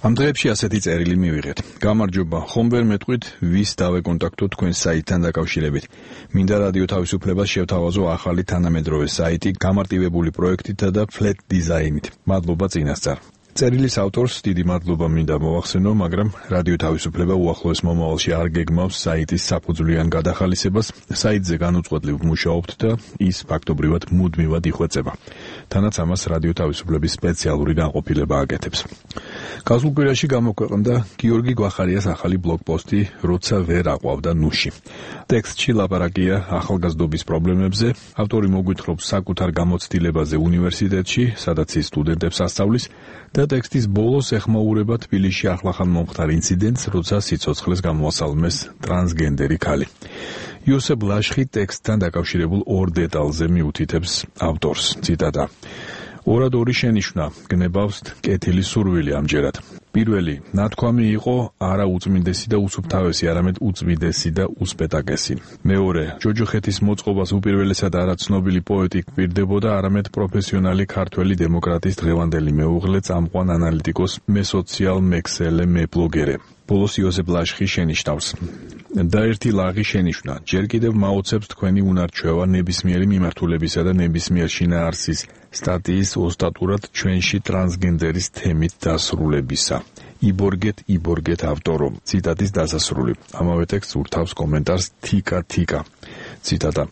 ამ დღეებში ასეთი წერილი მივიღეთ. გამარჯობა, ხომ ვერ მეტყვით, ვის დავეკონტაქტო თქვენ საიტთან დაკავშირებით. მინდა რადიო თავისუფლებას შევთავაზო ახალი თანამედროვე საიტი გამარტივებული პროექტითა და flat დიზაინით. მადლობა წინასწარ. წერილის ავტორს დიდი მადლობა მინდა მოვახსენო, მაგრამ რადიო თავისუფლება უახლოეს მომავალში არ გეგმავს საიტის საფუძვლიან გადახალისებას. საიტზე განუწყვეტლივ მუშაობთ და ის ფაქტობრივად მუდმივად იხვეწება. თანაც ამას რადიო თავისუფლების სპეციალური განყოფილება აკეთებს. გასულ კვირაში გამოქვეყნდა გიორგი გვახარიას ახალი ბლოგპოსტი როცა ვერ აყვავდა ნუში. ტექსტში ლაპარაკია ახალგაზრდობის პრობლემებზე, ავტორი მოგვითხრობს საკუთარ გამოცდილებაზე უნივერსიტეტში, სადაც ის სტუდენტებს ასწავლის და ტექსტის ბოლოს ეხმაურება თბილისში ახლახან მომხდარ ინციდენტს, როცა სიცოცხლეს გამოასალმეს ტრანსგენდერი ქალი. იოსებ ლაშხი ტექსტთან დაკავშირებულ ორ დეტალზე მიუთითებს ავტორს, ციტატა. ორად ორი შენიშვნა, გნებავს კეთილი სურვილი ამჯერად. პირველი, ნათქვამი იყო არა უწმინდესი და უსუფთავესი, არამედ უწმინდესი და უსპეტაკესი. მეორე, ჯოჯოხეთის მოწყობას უპირველესად არა ცნობილი პოეტი გვპირდებოდა, არამედ პროფესიონალი ქართველი დემოკრატის დღევანდელი მეუღლე, წამყვან ანალიტიკოს, მესოციალ მექსელე, მებლოგერე. ბოლოს იოსებ ლაშხი შენიშნავს. და ერთი ლაღი შენიშვნა, ჯერ კიდევ მაოცებს თქვენი უნარჩვევა ნებისმიერი მიმართულებისა და ნებისმიერ შინაარსის სტატიის ოსტატურად ჩვენში ტრანსგენდერის თემით დასრულებისა. იბორგეთ ავტორო. ციტატის დასასრული. ამავე ტექსტს ურთავს კომენტარს თიკა. ციტატა.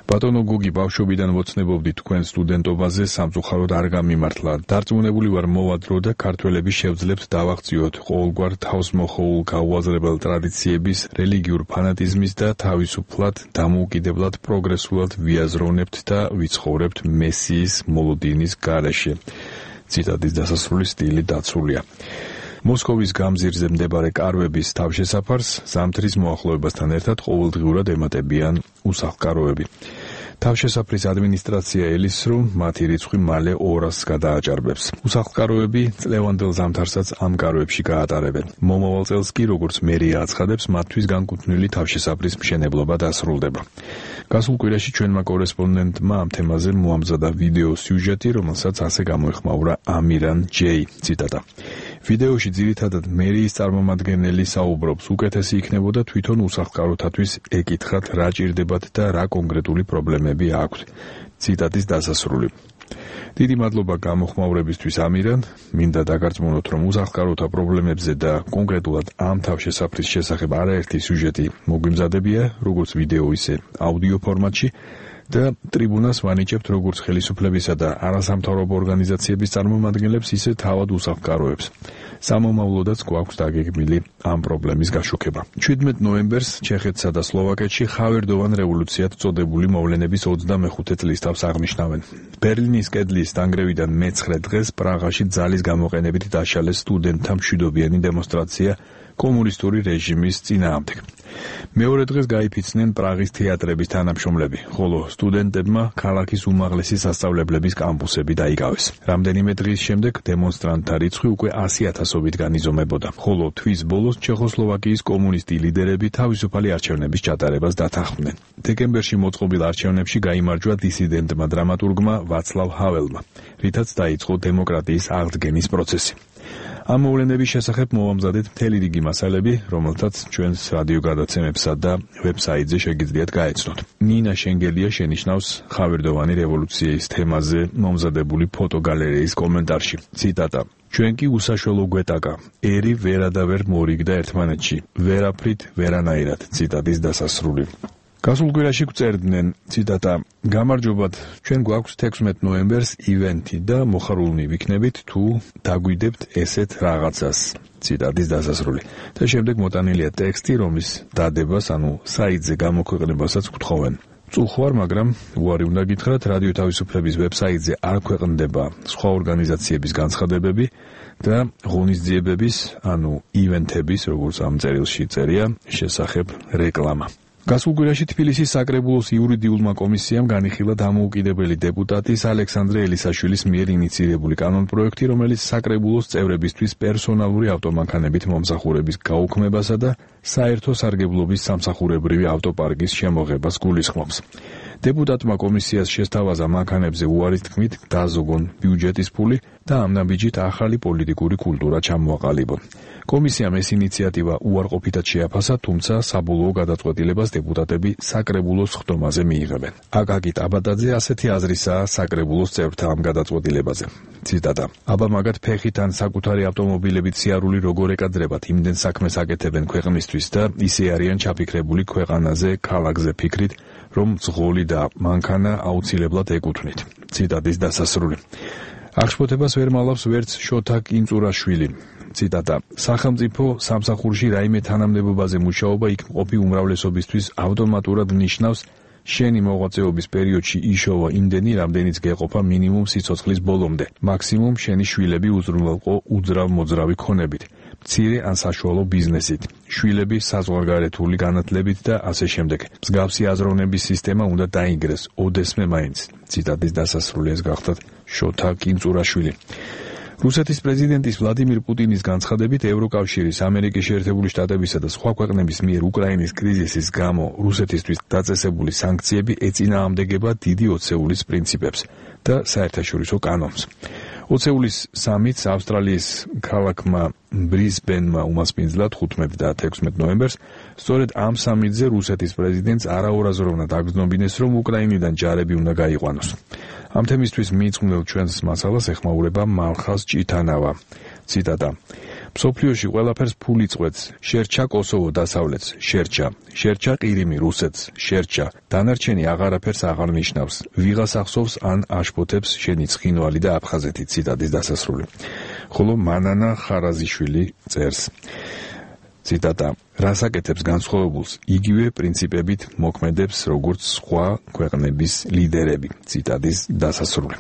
ბატონო გოგი, ბავშვობიდან ვოცნებობდი თქვენ სტუდენტობაზე, სამწუხაროდ არ გამიმართლა. დარწმუნებული ვარ მოვადრო და ქართველები შევძლებთ დავაღწიოთ ყოველგვარ თავს-მოხოვულ გაუაზრებელ ტრადიციების, რელიგიურ ფანატიზმის და თავისუფლად, დამოუკიდებლად, პროგრესულად ვიაზროვნებთ და ვიცხოვრებთ მესიის მოლოდინის გარეშე. ციტატის დასასრული სტილი დაცულია. მოსკოვის გამზირზე მდებარე კარვების თავშესაფარს ზამთრის მოახლოებასთან ერთად ყოველდღიურად ემატებიან უსახლკაროები. თავშესაფრის ადმინისტრაცია ელის, რომ მათი რიცხვი მალე 200-ს გადააჭარბებს. უსახლკაროები წლევანდელ ზამთარსაც ამ კარვებში გაატარებენ. მომავალ წელს კი, როგორც მერია აცხადებს, მათთვის განკუთვნილი თავშესაფრის მშენებლობა დასრულდება. გასულ კვირაში ჩვენმა კორესპონდენტმა ამ თემაზე მოამზადა ვიდეო სიუჟეტი, რომელსაც ასე გამოეხმაურა ამირან ჯეი. ციტატა. ვიდეოში ძირითადად მერიის წარმომადგენელი საუბრობს, უკეთესი იქნებოდა თვითონ უსახლკაროთათვის ეკითხათ, რა ჭირდებათ და რა კონკრეტული პრობლემები აქვთ. ციტატის დასასრული. დიდი მადლობა გამოხმაურებისთვის ამირან, მინდა დაგარწმუნოთ, რომ უსახლკაროთა პრობლემებზე და კონკრეტულად ამ თავშესაფრის შესახებ არაერთი სიუჟეტი მოგვიმზადებია, როგორც ვიდეო, ისე აუდიო ფორმატში და ტრიბუნას ვანიჭებთ როგორც ხელისუფლებისა და არასამთავრობო ორგანიზაციების წარმომადგენლებს, ისე თავად უსახლკაროებს. სამომავლოდაც გვაქვს დაგეგმილი ამ პრობლემის გაშუქება. 17 ნოემბერს ჩეხეთსა და სლოვაკეთში ხავერდოვან რევოლუციად წოდებული მოვლენების 25 წლის თავს აღნიშნავენ. ბერლინის კედლის დანგრევიდან მე-9 დღეს პრაღაში ძალის გამოყენებით დაშალეს სტუდენტთა მშვიდობიანი დემონსტრაცია კომუნისტური რეჟიმის წინააღმდეგ. მეორე დღეს გაიფიცნენ პრაღის თეატრების თანამშრომლები, ხოლო სტუდენტებმა ქალაქის უმაღლესი სასწავლებლების კამპუსები დაიკავეს. რამდენიმე დღის შემდეგ დემონსტრანტთა რიცხვი უკვე 100,000-ობით განიზომებოდა, ხოლო თვის ბოლოს ჩეხოსლოვაკიის კომუნისტი ლიდერები თავისუფალი არჩევნების ჩატარებას დათანხმდნენ. დეკემბერში მოწყობილ არჩევნებში გაიმარჯვა დისიდენტმა დრამატურგმა ვაცლავ ჰაველმა, რითაც დაიწყო დემოკრატიის აღდგენის პროცესი. ამ მოვლენების შესახებ მოვამზადეთ მთელი რიგი მასალები, რომელთაც ჩვენს რადიო გადაცემებსა და ვებსაიტზე შეგიძლიათ გაეცნოთ. ნინა შენგელია შენიშნავს ხავერდოვანი რევოლუციის თემაზე მომზადებული ფოტოგალერეის კომენტარში. ციტატა. ჩვენ კი უსაშველო გვეტაკა, ერი ვერადავერ მორიგდა ერთმანეთში, ვერაფრით ვერანაირად. ციტატის დასასრული. გასულ კვირაში გვწერდნენ, ციტატა, გამარჯობათ, ჩვენ გვაქვს 16 ნოემბერს ივენთი და მოხარულნი ვიქნებით თუ დაგვიდებთ ესეთ რაღაცას. ციტატის დასასრული. და შემდეგ მოტანილია ტექსტი, რომლის დადებას, საიტზე გამოქვეყნებასაც გთხოვენ. წუხვარ, მაგრამ უარი უნდა გითხრათ, რადიო თავისუფლების ვებსაიტზე არ ქვეყნდება სხვა ორგანიზაციების განცხადებები და ღონისძიებების, ივენთების, როგორც ამ წერილში წერია, შესახებ რეკლამა. გასულ კვირაში თბილისის საკრებულოს იურიდიულმა კომისიამ განიხილა დამოუკიდებელი დეპუტატის ალექსანდრე ელისაშვილის მიერ ინიციირებული კანონპროექტი, რომელიც საკრებულოს წევრებისთვის პერსონალური ავტომანქანებით მომსახურების გაუქმებასა და საერთო სარგებლობის სამსახურებრივი ავტოპარკის შემოღებას გულისხმობს. Deputatმა კომისიას შესთავაზა მანქანებზე უარის თქმით დაზოგონ ბიუჯეტის ფული და ამ ნაბიჯით ახალი პოლიტიკური კულტურა ჩამოაყალიბონ. კომისიამ ეს ინიციატივა უარყოფითად შეაფასა, თუმცა საბოლოო გადაწყვეტილებას დეპუტატები საკრებულოს ხდომაზე მიიღებენ. აკაკი ტაბატაძე ასეთი აზრისაა საკრებულოს წევრთა ამ გადაწყვეტილებაზე. ციტატა: აბა მაგათ ფეხით ან საკუთარი ავტომობილებით სიარული როგორ ეკადრებათ, იმდენ საქმეს აკეთებენ ქვეყნისთვის და ისე არიან ჩაფიქრებული ქვეყანაზე, ქალაქზე ფიქრით, რომ ზღოლი და მანქანა აუცილებლად ეკუთვნით. ციტატის დასასრული. აღშფოთებას ვერ მალავს ვერც შოთა კინწურაშვილი. ციტატა: სახელმწიფო სამსახურში რაიმე თანამდებობაზე მუშაობა იქ მყოფი უმრავლესობისთვის ავტომატურად ნიშნავს შენი მოღვაწეობის პერიოდში იშოვა იმდენი, რამდენიც გეყოფა მინიმუმ სიცოცხლის ბოლომდე, მაქსიმუმ შენი შვილები უზრუნველყო უძრავ-მოძრავი ქონებით, მცირე ან საშუალო ბიზნესით, შვილები საზღვარგარეთული განათლებით და ასე შემდეგ. მსგავსი აზროვნების სისტემა უნდა დაინგრეს ოდესმე მაინც. ციტატის დასასრული. ეს გახლდათ შოთა კინწურაშვილი. რუსეთის პრეზიდენტის ვლადიმირ პუტინის განცხადებით, ევროკავშირის, ამერიკის შეერთებული შტატებისა და სხვა ქვეყნების მიერ უკრაინის კრიზისის გამო რუსეთისთვის დაწესებული სანქციები ეწინააღმდეგება დიდი ოცეულის პრინციპებს და საერთაშორისო კანონს. ოცეულის სამიტს ავსტრალიის ქალაქმა ბრისბენმა უმასპინძლა 15 და 16 ნოემბერს. სწორედ ამ სამიტზე რუსეთის პრეზიდენტს არაორაზროვნად აგრძნობინეს, რომ უკრაინიდან ჯარები უნდა გაიყვანოს. ამ თემისთვის მიიწვნილ ჩვენს მასალას ეხმაურება მალხას ჭითანავა. ციტატა: მსოფლიოში ყველაფერს ფული წყვეტს, შერჩა კოსოვო დასავლეთს, შერჩა ყირიმი რუსეთს, შერჩა, დანარჩენი აღარაფერს აღარ ნიშნავს, ვიღას ახსოვს ან აშფოთებს შენი ცხინვალი და აფხაზეთი. ციტატის დასასრული. ხოლო მანანა ხარაზიშვილი წერს. ციტატა: რას აკეთებს განსხვავებულს, იგივე პრინციპებით მოქმედებს, როგორც სხვა ქვეყნების ლიდერები. ციტატის დასასრული.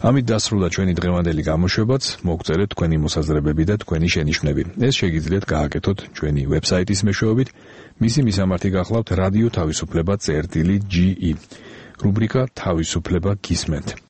ამით დასრულდა ჩვენი დღევანდელი გამოშვებაც. მოგწერეთ თქვენი მოსაზრებები და თქვენი შენიშვნები. ეს შეგიძლიათ გააკეთოთ ჩვენი ვებსაიტის მეშვეობით. მისი მისამართი გახლავთ რადიო თავისუფლება.ge. რუბრიკა თავისუფლება გისმენთ.